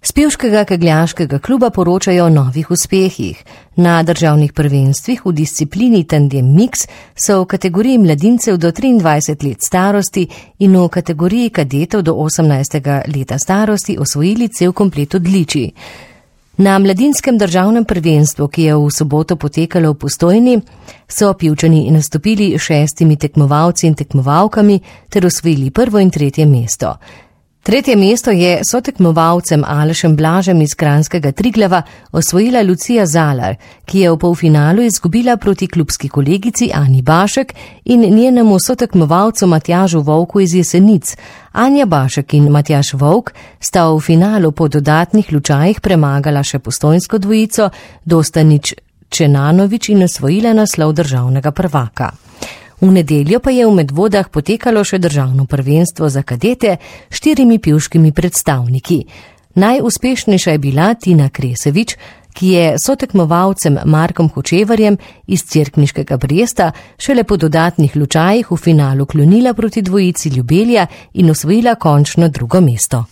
S pevškega kegljaškega kluba poročajo o novih uspehih. Na državnih prvenstvih v disciplini tandem mix so v kategoriji mladincev do 23 let starosti in v kategoriji kadetov do 18. leta starosti osvojili cel komplet odličij. Na mladinskem državnem prvenstvu, ki je v soboto potekalo v Postojni, so Pivčani nastopili 6 tekmovalci in tekmovalkami ter osvojili 1. in 3. mesto. 3. mesto je sotekmovalcem Alešem Blažem iz kranjskega Triglava osvojila Lucija Zalar, ki je v polfinalu izgubila proti klubski kolegici Ani Bašek in njenemu sotekmovalcu Matjažu Vovku iz Jesenic. Anja Bašek in Matjaž Vovk sta v finalu po dodatnih lučajih premagala še postojnsko dvojico Dostanič Čenanovič in osvojila naslov državnega prvaka. V nedeljo pa je v Medvodah potekalo še državno prvenstvo za kadete s 4 pivškimi predstavniki. Najuspešnejša je bila Tina Kresevič, ki je sotekmovalcem Markom Hočevarjem iz Cerkniškega Bresta šele po dodatnih lučajih v finalu klonila proti dvojici Ljubelja in osvojila končno 2. mesto.